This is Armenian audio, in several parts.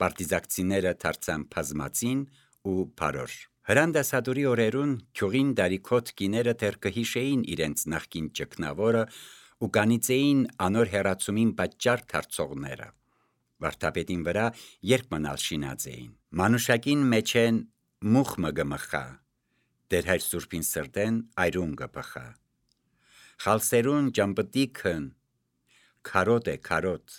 Պարտիզակցիները դարձան բազմածին ու բարոր։ Հրանդասադուրի օրերուն գյուղին դարիքոտ կիները դեռ կհիշեին իրենց նախկին ճգնավորը ու կանիծեին անոր հեռացումին պատճառ դարձողները։ Վարդապետին վրա երբ մնալ շինած էին։ Մանուշակին մեջեն մուխ մգմխա, դեր հայր սուրբին սրտեն այրուն գպխա։ Խալսերուն ճամպտիքն քարոտ է քարոտ,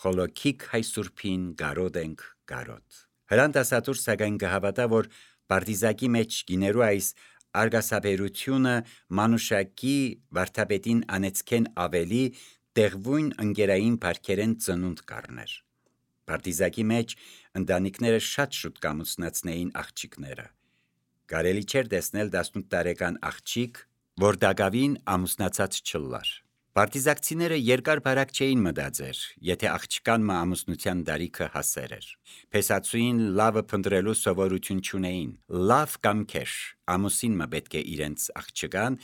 խոլոքիկ հայ սուրբին գարոտ ենք գարոտ։ Հրանդասատուր սակայն կհավատա, որ պարտիզակի մեջ գիներու այս արգասաբերությունը մանուշակի վարդապետին անեցքեն ավելի տեղվույն ընկերային բարքերեն ծնունդ կառներ։ Պարտիզակի մեջ ընտանիքները շատ շուտ կամուսնացնեին աղջիկները։ Կարելի չէր տեսնել 18 տարեկան աղջիկ, որ դակավին ամուսնացած չլար։ Պարտիզակցիները երկար բարակ չէին մտածեր, եթե աղջկան մը ամուսնության դարիքը հասեր էր։ Փեսացուին լավը փնտրելու սովորություն չունեին։ Լավ կամ քեշ ամուսին մը պետք է իրենց աղջկան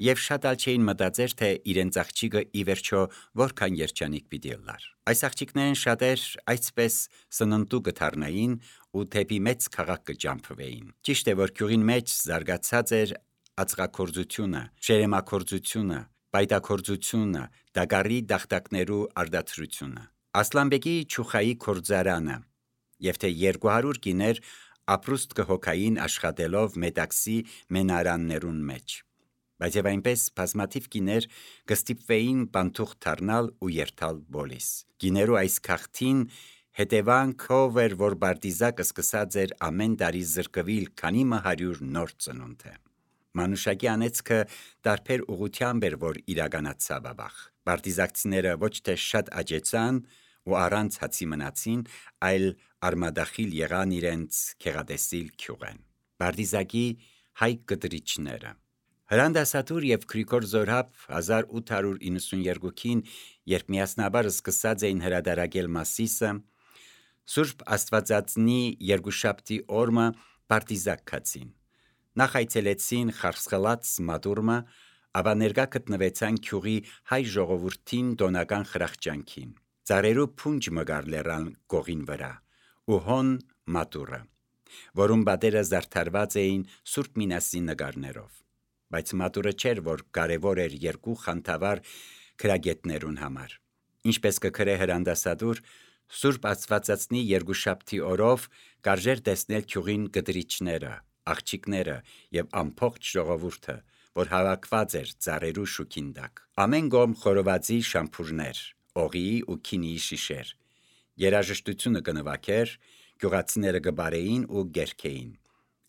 եւ շատ ալ չէին մտածեր, թե իրենց աղջիկը ի վերջո որքան երջանիկ պիտի լար։ Այս աղջիկներն շատեր այսպես սննդու կդառնային ու թեպի մեծ քաղաք կճամփվեին։ Ճիշտ է, որ գյուղին մեջ զարգացած էր ածղակործությունը, շերեմակործությունը, պայտակործությունը, դագարի դախտակներու արդարացությունը, Ասլանբեկի չուխայի կորձարանը, եւ թե 200 կիներ ապրուստ կհոգային աշխատելով մետաքսի մենարաններուն մեջ։ Բայց եւ այնպես բազմաթիվ կիներ կստիպվեին բանթուղ դառնալ ու երթալ բոլիս։ Կիներու այս քաղթին հետևանքով էր, որ Պարտիզակը սկսած էր ամեն տարի զրկվել քանի 100 նոր ծնունդ է։ Մանուշակի անեծքը տարբեր ուղղությամբ էր, որ իրականացավ ավաղ։ Պարտիզակցիները ոչ թե շատ աճեցան ու առանց հացի մնացին, այլ արմադախիլ եղան իրենց քեղատեսիլ գյուղեն։ Պարտիզակի հայ կտրիչները Հրանդասատուր եւ Գրիգոր Զորհապ 1892-ին, երբ միասնաբար սկսած էին հրադարակել Մասիսը, Սուրբ Աստվածածնի երկուշաբթի օրը Պարտիզակ գացին։ Նախ այցելեցին Խարսխլաց մատուրմը, ապա ներկա գտնվեցան գյուղի հայ ժողովրդին տոնական խրախճանքին։ Ծառերու փունջ մգար լեռան գողին վրա ու հոն մատուրը, որում բադերը զարդարված էին Սուրբ Մինասի նկարներով։ Բայց մատուրը չէր, որ կարևոր էր երկու խանդավառ քրագետներուն համար։ Ինչպես կգրե հրանդասատուր, Սուրբ Աստվածածնի երկուշաբթի օրով կարժեր տեսնել գյուղին կտրիչները, աղջիկները եւ ամբողջ ժողովուրդը, որ հավաքված էր ծառերու շուքին տակ։ Ամեն կողմ խորովածի շամփուրներ, օղիի ու քինիի շիշեր։ Երաժշտությունը կնվագեր, գյուղացիները կբարեին ու գերքեին։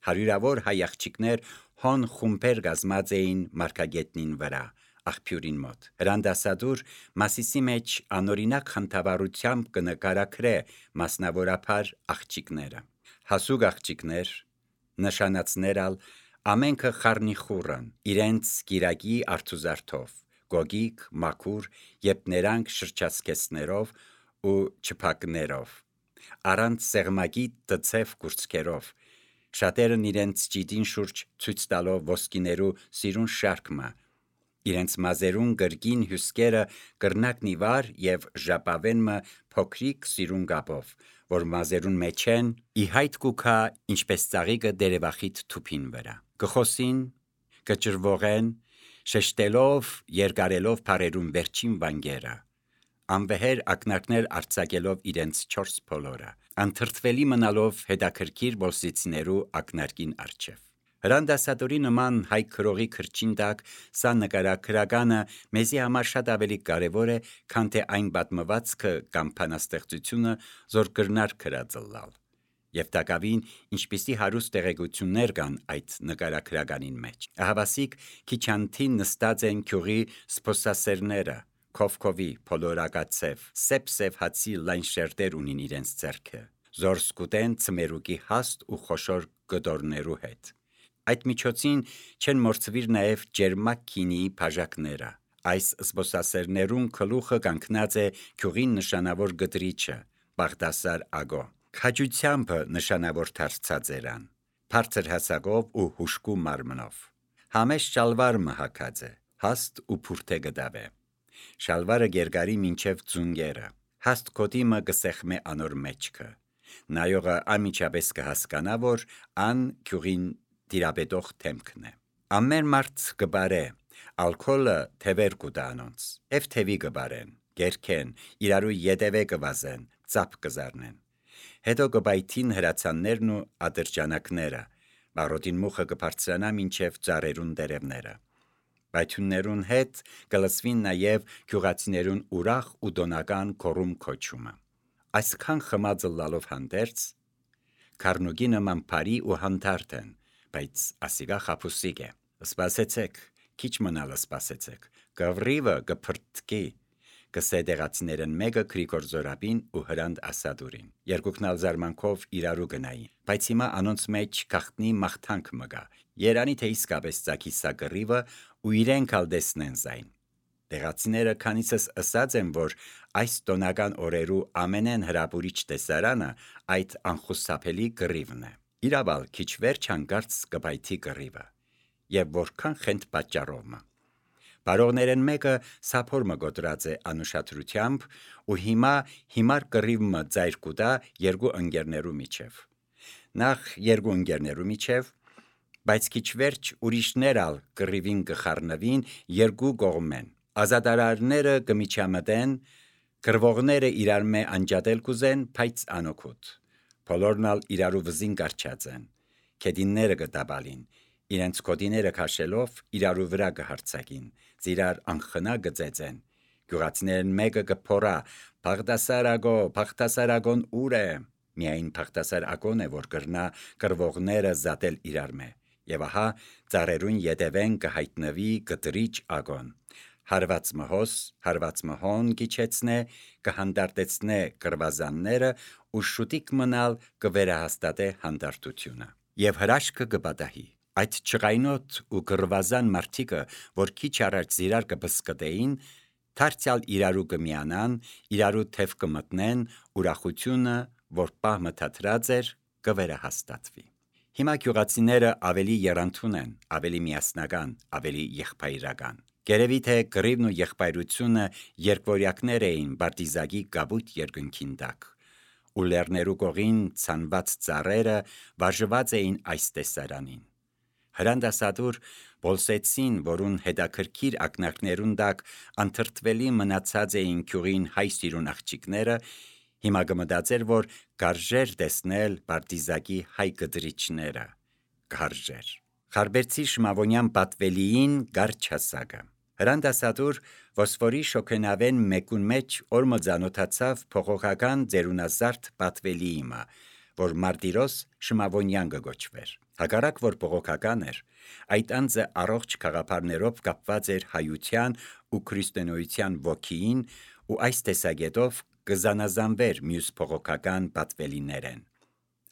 Հարյուրավոր հայ աղջիկներ հոն խումբեր կազմած էին մարգագետնին վրա, աղբյուրին մոտ։ Հրանդասատուր Մասիսի մեջ անօրինակ խնդավառությամբ կնկարագրե մասնավորապես աղջիկները։ Հասուկ աղջիկներ, նշանածներալ ամենքը խառնիխուռն, իրենց գիրակի արթուզարթով, գոգիկ, մաքուր, երբ նրանք շրջացկեցներով ու չփակներով, առանց սեղմակի տցև կուրծքերով, շատերն իրենց ճիտին շուրջ ցույց տալով ոսկիներու սիրուն շարքը, իրենց մազերուն գրգին հյուսկերը կրնակնի վար եւ ժապավենը փոքրիկ սիրուն կապով, որ մազերուն մեջ են, ի հայտ կուքա ինչպես ծաղիկը դերևախիտ թուփին վրա։ Կխոսին, կճրվողեն, շեշտելով, երկարելով բարերուն վերջին վանգերը, անվեհեր ակնարկներ արձակելով իրենց 4 փոլորը, անթրթվելի մնալով հետաքրքիր ոսիցիներու ակնարկին առջև։ Հրանդասատուրի նման հայ քրողի քրչին տակ սա նկարագրականը մեզի համար շատ ավելի կարևոր է, քան թե այն պատմվածքը կամ բանաստեղծությունը, որ կրնար գրածլալ։ Եվ տակավին ինչպիսի հարուստ տեղեկություններ կան այդ նկարագրականին մեջ։ Ահավասիկ քիչանթին նստած են գյուղի սփոսասերները, քովքովի, փոլորակացև, սեպ հացի լայն շերտեր ունին իրենց ձեռքը, զոր սկուտեն ծմերուկի հաստ ու խոշոր կտորներու հետ։ Այդ միջոցին չեն մորցվիր նաև ջերմակ քինիի բաժակները։ Այս սփոսասերներուն գլուխը կանգնած է գյուղին նշանավոր գտրիչը, Բաղդասար Ագո։ Քաջությամբ նշանավոր դարձած երան, բարձր հասակով ու հուշկու մարմնով։ Համեստ շալվար մհակած է, հաստ ու փուրթե գդավ է։ Շալվարը գերգարի մինչև ձունգերը, հաստ կոտիմը գսեղմե անոր մեջքը։ Նայողը անմիջապես կհասկանա, որ ան գյուղին տիրապետող թեմքն է։ Ամեն մարդ կբարե, ալքոլը թևեր կուտա անոնց, և թևի կբարեն, գերքեն, իրարու ետևե կվազեն, ծապ կզարնեն։ Հետո կբայթին հրացաններն ու ադրջանակները, բարոտին մուխը կբարձրանա մինչև ծառերուն տերևները։ Բայթուններուն հետ կլսվին նաև գյուղացիներուն ուրախ ու տոնական գոռում քոչումը։ Այսքան խմածը լալով հանդերձ, քառնուկի նման բարի ու հանդարտ են, բայց ասիկա խաբուսիկ է։ Սպասեցեք, քիչ մնալը սպասեցեք, կվրիվը կփրտկի, կսեդեղացիներն մեկը Գրիգոր Զորաբին ու Հրանտ Ասադուրին։ Երկուքն ալ զարմանքով իրարու գնային, բայց հիմա անոնց մեջ գախտնի մաղթանք մգա։ Երանի թե իսկապես ծագի սա կռիվը ու իրենք ալ տեսնեն զայն։ Տեղացիները քանիցս ըսած են, որ այս տոնական օրերու ամենեն հրապուրիչ տեսարանը այդ անխուսափելի կռիվն է։ Իրավալ քիչ վերջ հանկարծ կբայթի կռիվը, եւ որքան խենթ պատճառովը։ Բարողներեն մեկը սափոր մը գոտրած է անուշադրությամբ ու հիմար կռիվը ծայր կուտա երկու ընկերներու միջև։ Նախ երկու ընկերներու միջև, բայց քիչ վերջ ուրիշներ ալ կռիվին կխառնվին երկու կողմեն։ Ազատարարները կմիջամտեն, կռվողները իրար մե անջատել կուզեն, բայց անօգուտ։ Բոլորն ալ իրարու վզին կարճած են, քեդինները կտաբալին, իրենց կոդիները քաշելով իրարու վրա կհարցակին, իրար անխնա կծեծեն։ Գյուղացիներն մեկը կփորա, Փախտասարագոն ուր է։ Միայն Փախտասարագոն է, որ կրնա կռվողները զատել իրար մե։ Եվ ահա ծառերուն ետևեն կհայտնվի կտրիչ ագոն։ Հարված մհոն գիչեցնե, կհանդարտեցնե կռվազանները ու շուտիկ մնալ կվերահաստատե հանդարտությունը։ Եվ հրաշքը կպատահի։ Այդ չղայնոտ ու կռվազան մարդիկը, որ քիչ առաջ իրար կբսկտեին, դարձյալ իրարու կմիանան, իրարու թև կմտնեն, ուրախությունը, որ պահ մթաթրած էր, կվերահաստատվի։ Հիմա գյուղացիները ավելի եռանդուն են, ավելի միասնական, ավելի եղբայրական։ Գերևի թե կռիվն ու եղբայրությունը երկվորյակներ էին Բարտիզակի գաբույտ երկնքին տակ, ու լեռներու կողին ցանված ծառերը վարժված էին այս տեսարանին։ Հրանտ Ասադուր Բոլսեցին, որուն հետաքրքիր ակնարկներուն տակ անթրթվելի մնացած էին գյուղին հայ սիրուն աղջիկները, հիմա կմտածեր, որ կարժեր տեսնել Բարտիզակի հայ կտրիչները, կարժեր։ Խարբերցի շմավոնյան պատվելիին գարչ հասակը։ Հրանտ Ասադուր ոսվորի շոքենավեն մեկուն մեջ օրմը ծանոթացավ փողոքական ձերունազարդ պատվելիիմը, որ Մարտիրոս շմավոնյան կգոչվեր։ Հակառակ որ փողոքական էր, այդ անձը առողջ խաղապարներով կապված էր հայության ու քրիստոնեության ոգիին ու այս տեսակետով կզանազանվեր մյուս փողոքական պատվելիներեն։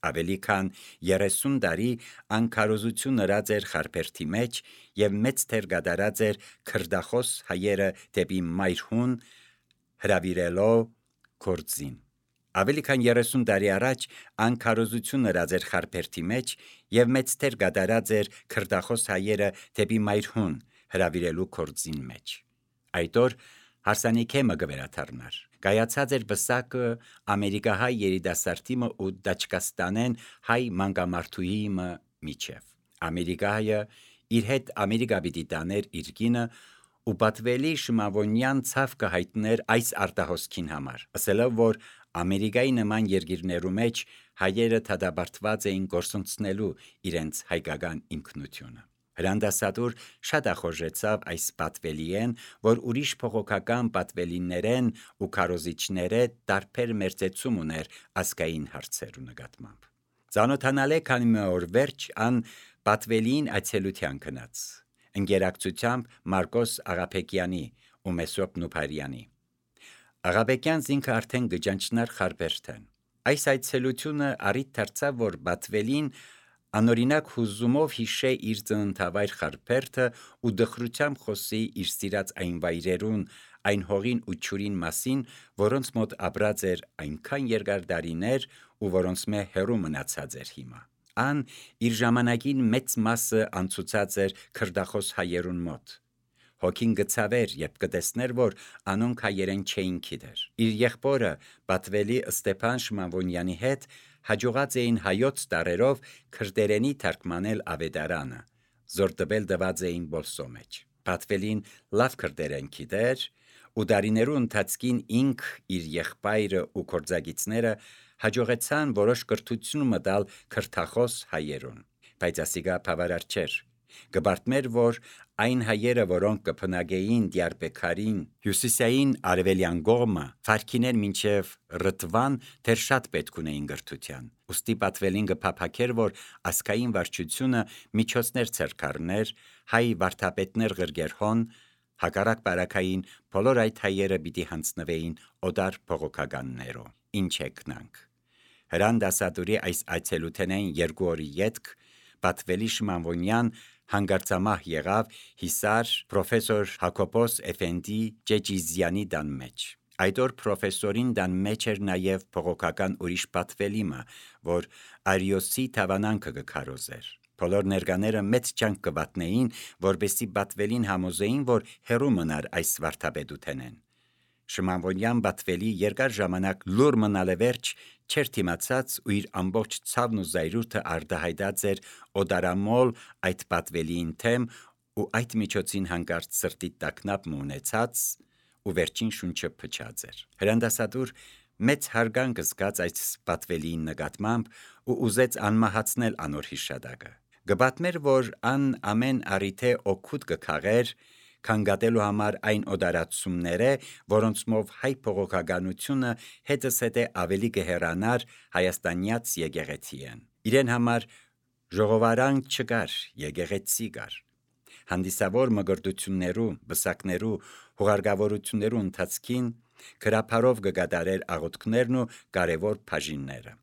Ավելի քան 30 տարի անկարոզություն նրած էր Խարբերդի մեջ եւ մեծ թեր կատարած էր քրդախոս հայերը դեպի մայրհուն հրավիրելով գործին։ Ավելի քան 30 տարի առաջ անկարոզություն նրած էր Խարբերդի մեջ եւ մեծ թեր կատարած էր քրդախոս հայերը դեպի մայրհուն հրավիրելու գործին մեջ։ Այդ օր հարսանիքեմը կվերաթարնար։ Կայացած էր բսակը ամերիկահայ երիտասարդիմը ու Դաչկաստանեն հայ մանկամարտուհիմը միջև։ Ամերիկահայը իր հետ Ամերիկա պիտի տաներ իր կինը ու պատվելի շմավոնյան ցավ կհայտներ այս արտահոսքին համար, ասելով, որ Ամերիկայի նման երկիրներու մեջ հայերը թադաբարտված էին գործունցնելու իրենց հայկական ինքնությունը։ Հրանտ Ասադուր շատ ախորժեցավ այս պատվելիեն, որ ուրիշ փողոքական պատվելիներեն ու քարոզիչները տարբեր մերձեցում ուներ ազգային հարցերու նկատմամբ։ Ծանոթանալե քանի մի օր վերջ ան պատվելիին այցելության գնաց, ընկերակցությամբ Մարկոս Աղաբեկյանի ու Մեսրոպ Նուփարյանի։ Աղաբեկյան զինքը արդեն գճանչնար Խարբերդեն։ Այս այցելությունը առիթ դարձավ, որ պատվելին անօրինակ հուզումով հիշե իր ծննդավայր Խարբերդը ու դխրությամբ խոսի իր սիրած այն վայրերուն, այն հողին ու ջուրին մասին, որոնց մոտ ապրած էր այնքան երկար տարիներ ու որոնց մե հեռու մնացած էր հիմա։ Ան իր ժամանակին մեծ մասը անցուցած էր քրդախոս հայերուն մոտ։ Հոգին գցավեր, երբ կտեսներ, որ անոնք հայերեն չէին գիտեր։ Իր եղբորը Բաթվելի Ստեփան Շմավոնյանի հետ հաջողած էին հայոց տարերով քրդերենի թարգմանել Ավետարանը, զոր տվել դված էին բոլսո մեջ։ Բաթվելին լավ քրդերեն գիտեր, ու դարիներու ընթացքին ինք իր եղբայրը ու կորձագիցները հաջողեցան որոշ կրթություն մտալ քրթախոս հայերուն, բայց ասիգա բավարար չէր։ Գբարտմեր, որ այն հայերը, որոնք կփնագեին Դիարբեքարին, հյուսիսային արևելյան կողմը, Ֆարքիներ մինչև Ռտվան, դեռ շատ պետք ունեին գրթության։ Ուստի Բաթվելին կփափակեր, որ ասկային վարչությունը միջոցներ ցերկարներ, հայ վարդապետներ գրգերհոն, հակառակ բարակային բոլոր այդ հայերը պիտի հանձնվեին օդար փողոքականներով։ Ինչ եկնանք։ Հրան դասադուրի այս այցելութենային 2 օրի ետք Բաթվելի Շմավոնյան հանգարցամահ եղավ Հիսար պրոֆեսոր Հակոբոս Էֆենդի Ջեջիզյանի դան մեջ։ Այդ օր պրոֆեսորին դան մեջ էր նաև փողոքական ուրիշ Բաթվելիմը, որ Արիոսի թավանանքը կքարոզեր։ Բոլոր ներկաները մեծ ջանք կվատնեին, որբեսի Բաթվելին համոզեին, որ հերու մնար այս վարդապետութենեն։ Շմավոնյան Բաթվելի երկար ժամանակ լուր մնալը վերջ չեր թիմացած ու իր ամբողջ ցավն ու զայրույթը արտահայտած էր օդարամոլ այդ Բաթվելիին թեմ ու այդ միջոցին հանկարծ սրտի տակնապ ունեցած ու վերջին շունչը փչած էր։ Հրանդասատուր մեծ հարգանք զգաց այդ Բաթվելիին նկատմամբ ու ուզեց անմահացնել անոր հիշադակը։ Գբատմեր, որ ան ամեն առիթե օգուտ կքաղեր քանգատելու համար այն օդարացումները, որոնցմով հայ փողոքականությունը հետս հետե ավելի կհեռանար հայաստանյաց եկեղեցիեն։ Իրեն համար ժողովարանք չկար, եկեղեցի կար։ Հանդիսավոր մգրտություններու, բսակներու, հուղարկավորություններու ընթացքին գրափարով կգադարեր աղոթքներն ու կարևոր բաժինները։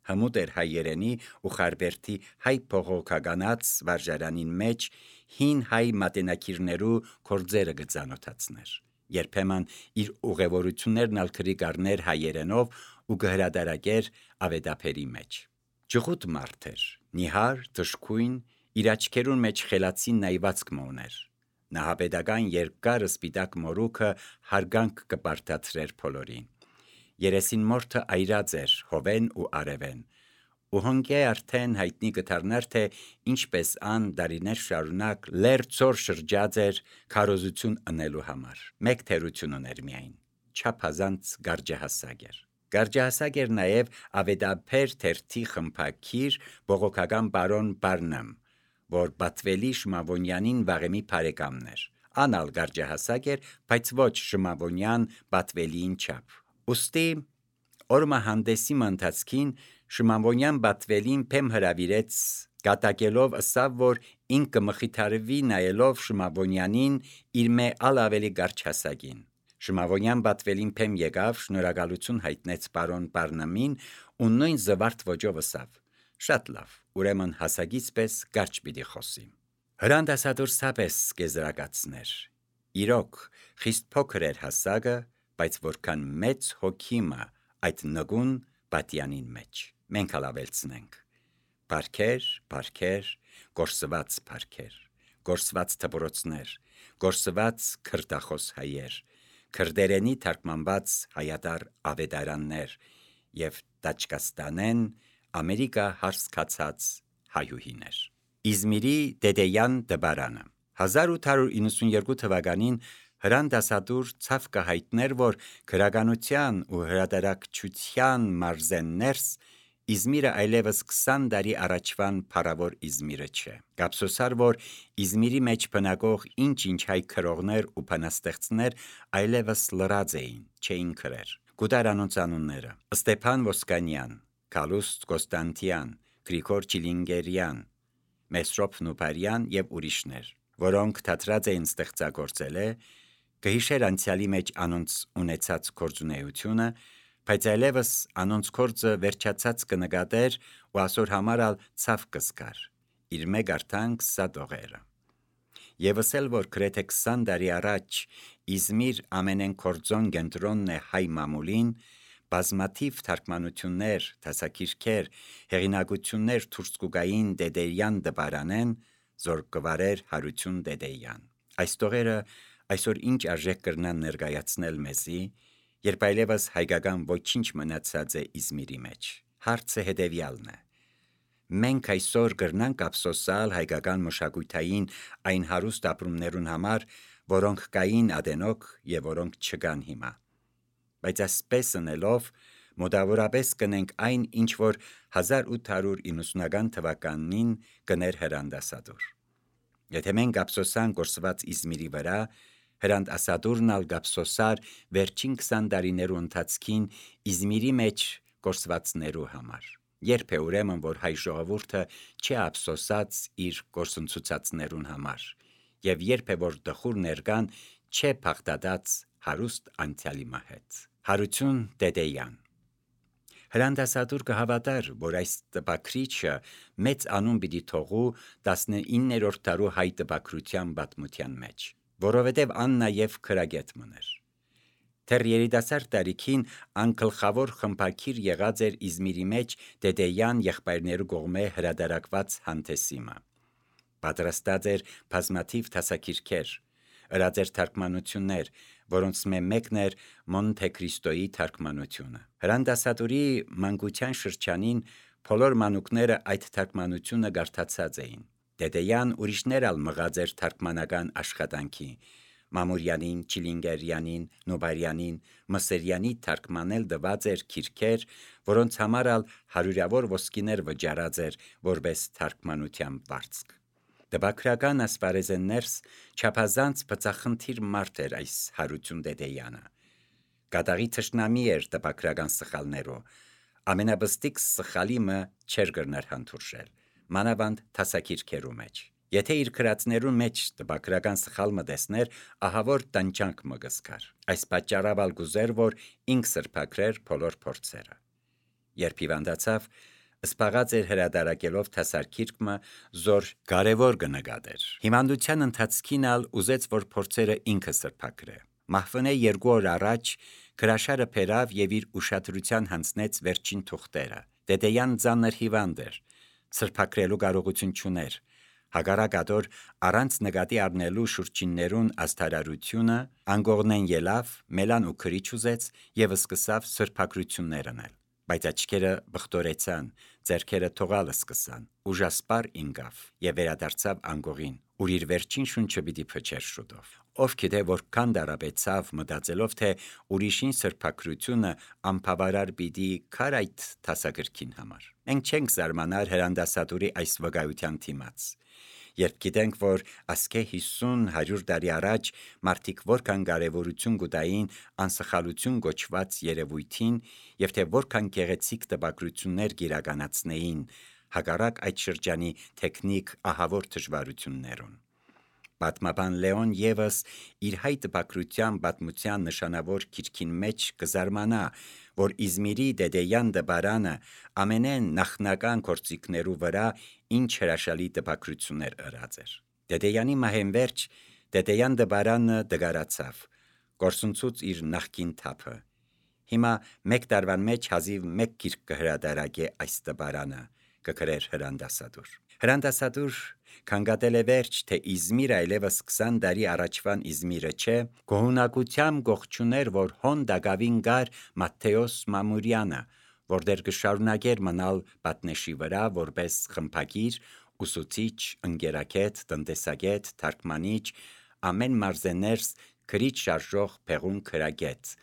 Հմուտ էր հայերենի ու Խարբերդի հայ փողոքականած վարժարանին մեջ հին հայ մատենակիրներու կորձերը գծանոթացներ։ Երբեմն իր ուղևորություններն ալ քրիկարներ հայերենով ու գհրադարակեր ավետապերի մեջ։ Ջղուտ մարդ էր, նիհար, թշկույն, իր աչքերուն մեջ խելացի նայվածք մոներ։ Նահապետական երկար սպիտակ մորուքը հարգանք կպարտացրեր բոլորին։ Երեսին մորթը այրած էր հովեն ու արևեն, ու հոնկե արդեն հայտնի կդառնար, թե ինչպես ան դարիներ շարունակ լերծոր շրջած էր քարոզություն ընելու համար։ Մեկ թերություն ուներ միայն, չափազանց գարջահասակ էր։ Գարջահասակ էր նաև ավետապեր թերթի խմփակիր բողոքական բարոն Բարնամ, որ Բաթվելի Շմավոնյանին վաղեմի բարեկամն էր։ Անալ գարջահասակ էր, բայց ոչ Շմավոնյան Բաթվելիին չափ։ Ուստի օրմա հանդեսի ընթացքին Շմավոնյան Բաթվելին փեմ հրավիրեց կատակելով ըսավ, որ ինքը մխիթարվի նայելով Շմավոնյանին իր մե ավելի գարջահասակին։ Շմավոնյան Բաթվելին փեմ եկավ, շնորհակալություն հայտնեց բարոն Բարնամին ու նույն զվարթ ոճով ըսավ. շատ լավ, ուրեմն հասակից պես գարջ պիտի խոսի։ Հրանդասադուր սապես կեզրակացներ։ Իրոք խիստ փոքր էր հասակը, բայց որքան մեծ հոգիմը այդ նգուն պատյանին մեջ։ Մենք հալավելցնենք։ Բարքեր, բարքեր, գործված բարքեր, գործված թբորոցներ, գործված քրտախոս հայեր, քրդերենի թարգմանված հայատար ավետարաններ և Տաճկաստանեն Ամերիկա հարսկացած հայուհիներ։ Իզմիրի Դեդեյան դպարանը 1892 թվականին հրանդասադուր ցավ կհայտներ, որ քրականության ու հրատարակչության մարզեններս Իզմիրը այլևս 20 տարի առաջվան փառավոր Իզմիրը չէ։ Կապսոսար, որ Իզմիրի մեջ բնակող ինչ-ինչ հայ քրողներ ու բանաստեղծներ այլևս լրած էին, չէին քրեր։ Գուտար անոնց անունները՝ Ստեփան Ոսկանյան, Գալուստ Կոստանտյան, Գրիգոր Չիլինգերյան, Մեսրոպ Նուպարյան և ուրիշներ, որոնք թատրած էին ստեղծագործել, կհիշեր անցյալի մեջ անոնց ունեցած գործունեությունը, բայց այլևս անոնց գործը վերջացած կնկատեր ու ասոր համարալ ցավ կսկար, իր մեկ արդանք սադողերը։ Եվս էլ, որ գրեթե 20 տարի առաջ Իզմիր ամենեն կորձոն կենտրոնն է հայ մամուլին, բազմաթիվ թարգմանություններ, դասակիրքեր, հեղինակություններ թուրքցկուկային Դեդեյան դպարանեն, զոր կվարեր Հարություն Դեդեյան։ Այս տողերը այսօր ինչ արժեք կրնան ներկայացնել մեզի, երբ այլևս հայկական ոչինչ մնացած է Իզմիրի մեջ։ Հարցը հետևյալն է. մենք այսօր կրնանք ափսոսալ հայկական մշակութային այն հարուստ ապրումներուն համար, որոնք կային ադենոք և որոնք չկան հիմա։ Բայց ասպես ընելով, մոտավորապես կնենք այն, ինչ որ 1890 թվականին կներ Հրանտ Ասադուր։ Եթե մենք ափսոսանք կորսված Իզմիրի վրա, Հրանտ Ասադուրն ալ կափսոսար վերջին 20 տարիներու ընթացքին Իզմիրի մեջ կորսվածներու համար։ Երբ է ուրեմն, որ հայ ժողովուրդը չի ափսոսած իր կորսնցուցածներուն համար, և երբ է, որ դխուր ներկան չէ փախտած հարուստ անցյալի հետ։ Հարություն Տետեյան։ Հրանտ Ասադուր կհավատար, որ այս տպաքրիչը մեծ անուն պիտի թողու 19-րդ դարու հայ տպաքրության պատմության մեջ, որովհետև ան նաև քրագետ մներ։ Դեռ երիտասարդ տարիքին ան գլխավոր խմբակիր եղած էր Իզմիրի մեջ Տետեյան եղբայրներու կողմէ հրատարակված հանդեսիմը։ Պատրաստած էր բազմաթիվ դասագիրքեր, ըրած էր թարգմանություններ, որոնց մեկն էր Մոնթե Քրիստոյի թարգմանությունը։ Հրանտ Ասադուրի մանկության շրջանին բոլոր մանուկները այդ թարգմանությունը կարդացած էին։ Տետեյան ուրիշներ ալ մղած էր թարգմանական աշխատանքի, Մամուրյանին, Չիլինգերյանին, Նոբարյանին, Մսերյանի թարգմանել տված էր գիրքեր, որոնց համար ալ հարյուրավոր ոսկիներ վճարած էր որպես թարգմանության վարձք։ Տպաքրական ասպարեզներս չափազանց բծախնդիր մարդ էր այս Հարություն Տետեյանը։ Կատաղի թշնամի էր տպաքրական սխալներու, ամենաբստիկ սխալիմը չէր կրներ հանդուրժել, մանավանդ դասագիրքերու մեջ։ Եթե իր գրածներուն մեջ տպաքրական սխալ մը տեսներ, ահավոր տանջանք մը կզգար։ Այս պատճառով ալ գուզեր, որ ինք սրբագրեր բոլոր փորձերը։ Երբ հիվանդացավ, սպաղած էր հրատարակելով դասագիրքը, զոր կարևոր կնկատեր։ Հիվանդության ընթացքին ալ ուզեց, որ փորձերը ինքը սրբագրե։ Մահվնե 2 օր առաջ գրաշարը բերավ և իր ուշադրության հանձնեց վերջին թուղթերը։ Տետեյան ծանր հիվանդ էր, սրբագրելու կարողություն չուներ։ Հակառակատոր առանց նկատի առնելու շուրջիններուն աստարարությունը անգողնեն ելավ, մելան ու քրիչ ուզեց և սկսավ սրբագրություններ անել։ Բայց աչքերը բխտորեցան, ձեռքերը թողալ սկսան, ուժասպառ ինկավ և վերադարձավ անգողին, ուր իր վերջին շունչը պիտի փչեր շուտով։ Ով գիտե որքան տարապեցավ մտածելով, թե ուրիշին սրբագրությունը անբավարար պիտի քար այդ դասագրքին համար։ Մենք չենք զարմանար Հրանտ Ասադուրի այս վկայության դիմաց, երբ գիտենք, որ ասկե 50-100 տարի առաջ մարդիկ որքան կարևորություն կտային անսխալություն կոչված երևույթին և թե որքան գեղեցիկ տպագրություններ կիրականացնեին հակառակ այդ շրջանի տեխնիկ ահավոր դժվարություններուն։ Պատմաբան Լեոն ևս իր հայ տպագրության պատմության նշանավոր գիրքին մեջ կզարմանա, որ Իզմիրի Տետեյան դպարանը ամենեն նախնական գործիքներու վրա ինչ հրաշալի տպագրություններ ըրած էր։ Տետեյանի մահենվերջ Տետեյան դպարանը դգարացավ, կորսնցուց իր նախկին թափը։ Հիմա 1 տարվան մեջ հազիվ 1 գիրք կհրատարակե այս դպարանը, կգրեր Հրանտ Ասադուր։ Հրանտ Ասադուր քննադատել է վերջ, թե Իզմիրը այլևս 20 տարի առաջվան Իզմիրը չէ, գոհունակությամբ գողջուներ, որ հոն դակավին գար Մատթեոս Մամուրյանը, որտեղ կշարունակեր մնալ պատնեշի վրա որպես խմբագիր, ուսուցիչ, ընկերագետ, տնտեսագետ, թարգմանիչ, ամեն մարզեներս քրիչ շարժող փեղուն քրագետ,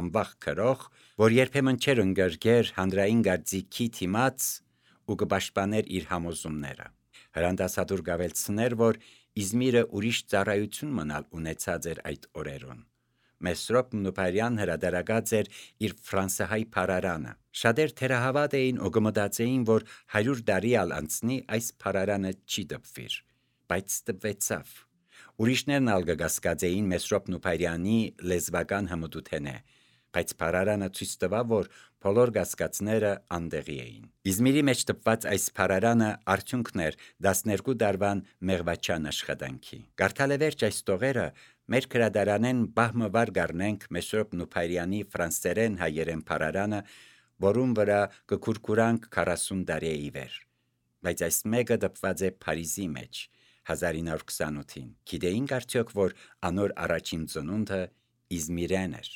անվախ քրող, որ երբեմն չէր ընկրկեր հանրային գարծիքի դիմաց ու կպաշտպաներ իր համոզումները։ Հրանտ Ասադուր գավելցներ, որ Իզմիրը ուրիշ ծառայություն մնալ ունեցած էր այդ օրերուն։ Մեսրոպ Նուբարյան հրատարակած էր իր ֆրանսահայ փարարանը։ Շատեր թերահավատ էին ու կմտածեին, որ 100 տարի ալ անցնի այս փարարանը չի տպվիր, բայց տպվեցավ։ Ուրիշներն ալ կկասկածեին Մեսրոպ Նուբարյանի լեզվական հմտութենե, բայց փարարանը ցույց տվավ, որ բոլոր կասկածները անտեղի էին։ Իզմիրի մեջ տպված այս փարարանը արդյունքն էր 12 տարվան մեղվաչան աշխատանքի։ Կարդալ է վերջ այս տողերը, մեր գրադարանեն բահմվար կառնենք Մեսրոպ Նուբարյանի ֆրանսերեն հայերեն փարարանը, որում վրա կքուրքուրանք 40 տարի ի վեր։ Բայց այս մեկը տպված է Փարիզի մեջ, 1928-ին։ Գիտեինք արդյոք, որ անոր առաջին ծնունդը Իզմիրեն էր։